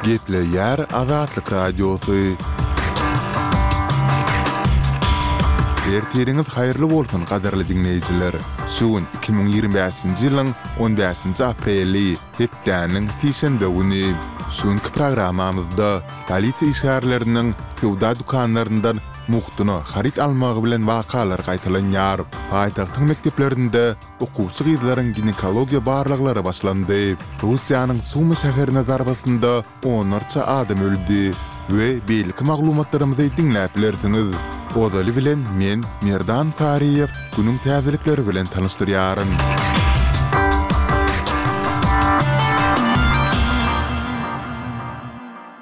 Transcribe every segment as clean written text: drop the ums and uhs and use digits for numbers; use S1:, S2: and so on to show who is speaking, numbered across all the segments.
S1: Gepleýär Azatlyk Radiosy. Ertiriňiz haýyrly bolsun gadyrly diňleýjiler! Şu gün 2025-nji ýylyň on bäşinji apreli, hepdäniň sişenbe güni. Şu günki programmamyzda polisiýa işgärleriniň söwda dükanlaryndan mugtuna haryt almagy bilen wakalar gaýtalanýar. Paýtagtyň mekdeplerinde Okuwçy gyzlaryň ginekologiýa barlaglary başlandy. Russiýanyň Sumy şäherine zarbasynda onlarça adam öldi we beýleki maglumatlarymyzy diňläp bilersiňiz. Ozaly bilen men, Merdan Saryýew, günüň täzelikleri bilen tanyşdyrýaryn.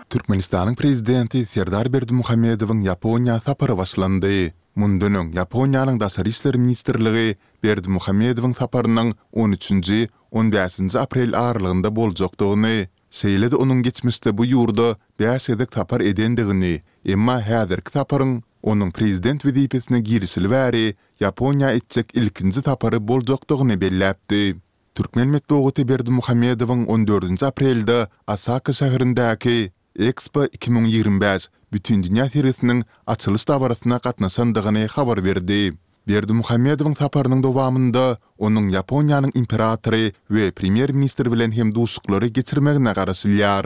S1: Türkmenistanyň Prezidenti Serdar Berdimuhamedowyň Ýaponiýa sapary başlandy. Mundan öň Ýaponiýanyň Daşary işler ministrligi Berdimuhamedowyň saparynyň on üçünji, on bäşinji aprel aralygynda boljakdygyny, şeýle-de onuň geçmişde bu ýurda bäş gezek sapar edendigini, emma häzirki saparyň onuň prezident wezipesine girişeli bäri Ýaponiýa etjek ilkinji sapary boljakdygyny belläpdi. Türkmen metbugaty Berdimuhamedowyň on dördünji aprelde Osaka şäherindäki Ekspo 2025 Bütindünýä sergisiniň açylyş dabarasyna gatnaşandygyny habar berdi. Berdimuhamedowyň saparynyň dowamynda onuň Ýaponiýanyň imperatory we premýer-ministri bilen hem duşuşyklary geçirmegine garaşylýar.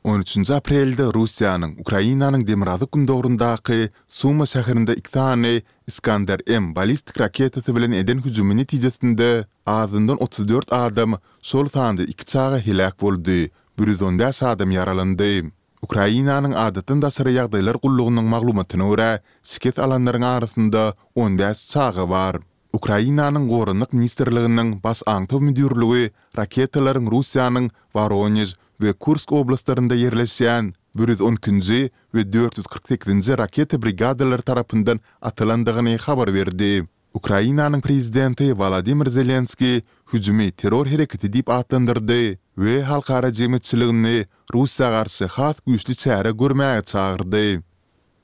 S1: On üçünji aprelde Russiýanyň Ukrainanyň demirgazyk-gündogaryndaky Suma şäherinde iki sany Iskander-M ballistik raketasy bilen eden hüjümi netijesinde azyndan 34 adam, şol sanda iki çaga heläk boldy, 115 adam ýaralandy. Ukrainanyň Adatdan daşary ýagdaýlar gullugynyň maglumatyna görä, şikes alanlaryň arasynda 15 çaga bar. Ukrainanyň Goranmak ministrliginiň Baş aňtaw müdirligi raketalaryň Russiýanyň Woronež we Kursk oblastlarynda ýerleşýän 112-nji we 448-nji raketa brigadalary tarapyndan atylandygyny habar berdi. Ukrainanyň prezidenti Wolodymyr Zelenskiý hüjümi terror hereketi diýip atlandyrdy we halkara jemgyýetçiligini Russiýa garşy has güýçli çäre görmäge çagyrdy.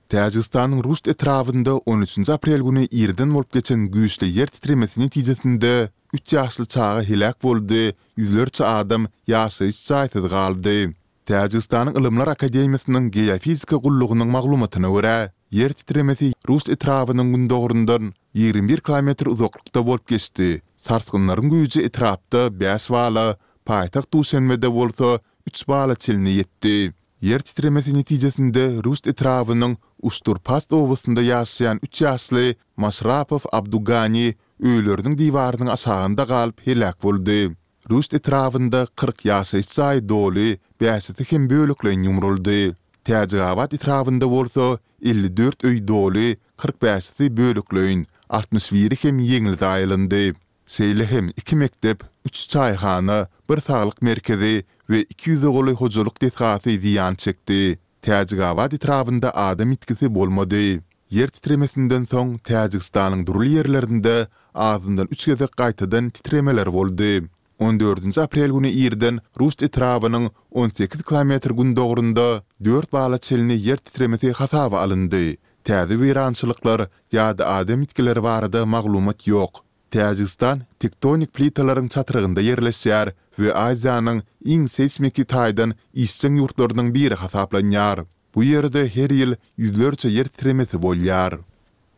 S1: Täjigistanyň Ruşt etrabynda on üçünji aprel güni irden bolup geçen güýçli ýer titremesi netijesinde üç ýaşly çaga heläk boldy, ýüzlerçe adam ýaşaýyş jaýsyz galdy. Täjigistanyň Ylymlar akademiýasynyň Geofizika gullugynyň maglumatyna görä, ýer titremesi Rust etrabynyň gündogaryndan 21 kilometr uzaklykda bolup geçdi. Sarsgynlaryň güýji etrapda bäş bala, paýtagt Duşenbede bolsa üç bala çenli ýetdi. Ýer titremesi netijesinde Rust etrabynyň Uşturpast obasynda ýaşaýan üç ýaşly Maşrapow Abdugani öýleriniň diwarynyň aşagynda galyp heläk boldy. Ruşt etrabynda 40 ýaşaýyş jaýy doly, bäşisi hem bölekleýin ýumruldy. Täjigabat etrabynda bolsa 54 öý doly, 45-si bölekleýin, 61-i hem ýeňil zaýalandy. Şeýle hem iki mekdep, üç çaýhana, bir saglyk merkezi we iki ýüze golaý hojalyk desgasy zyýan çekdi. Täjigabat etrabynda adam ýitgisi bolmady. Ýer titremesinden soň Täjigistanyň dürli ýerlerinde azyndan üç gezek gaýtadan titremeler boldy. On dördünji aprel güni irden Rust etrabynyň 18 kilometr gündogarynda dört bala çenli ýer titremesi hasaba alyndy. Täze weýrançylyklar ýa-da adam ýitgileri barada maglumat ýok. Täjigistan tektonik plitalaryň çatrygynda ýerleşýär we Aziýanyň iň seýsmiki taýdan işjeň ýurtlarynyň biri hasaplanýar. Bu ýerde her ýyl ýüzlerçe ýer titremesi bolýar.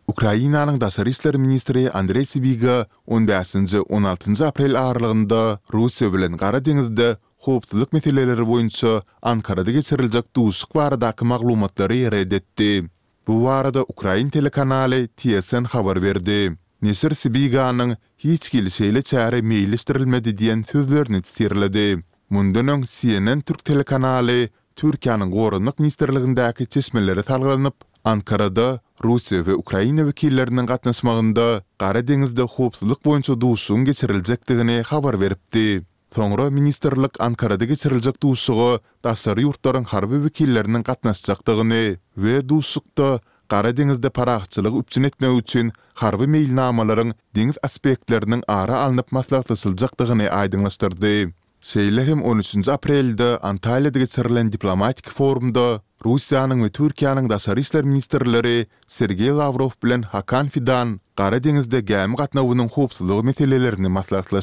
S1: Ukrainanyň daşary işler ministri Andreý Sibiga on bäşinji, on altynjy aprel aralygynda Russiýa bilen Gara deňizde howpsuzlyk meseleleri boýunça Ankarada geçiriljek duşuşyk baradaky maglumatlary ret etdi. Bu barada ukrain telekanaly TSN habar berdi. Neşir Sibiganyň Hiç hili şeýle çäre meýilleşdirilmedi diýen sözlerini sitirledi. Mundan öň CNN türk telekanaly Türkiýäniň Goranmak ministrligindäki çeşmelere salgylanyp, Ankarada Russiýa we Ukraina wekilleriniň gatnaşmagynda Gara deňizde howpsuzlyk boýunça duşuşygyň geçiriljekdigini habar beripdi. Soňra ministrlik Ankarada geçiriljek duşuşyga daşary ýurtlaryň harby wekilleriniň gatnaşjakdygyny we duşuşykda Gara deňizde parahatçylygy üpjün etmek üçin harby meýilnamalaryň deňiz aspektleriniň ara alnyp maslahatlaşyljakdygyny aýdyňlaşdyrdy. Şeýle hem on üçünji aprelde Antalýada geçirilen diplomatik forumda Russiýanyň we Türkiýäniň daşary işler ministrleri Sergeý Lawrow bilen Hakan Fidan Gara deňizde gämi gatnawynyň howpsuzlygy meselelerini maslahatlaşdy.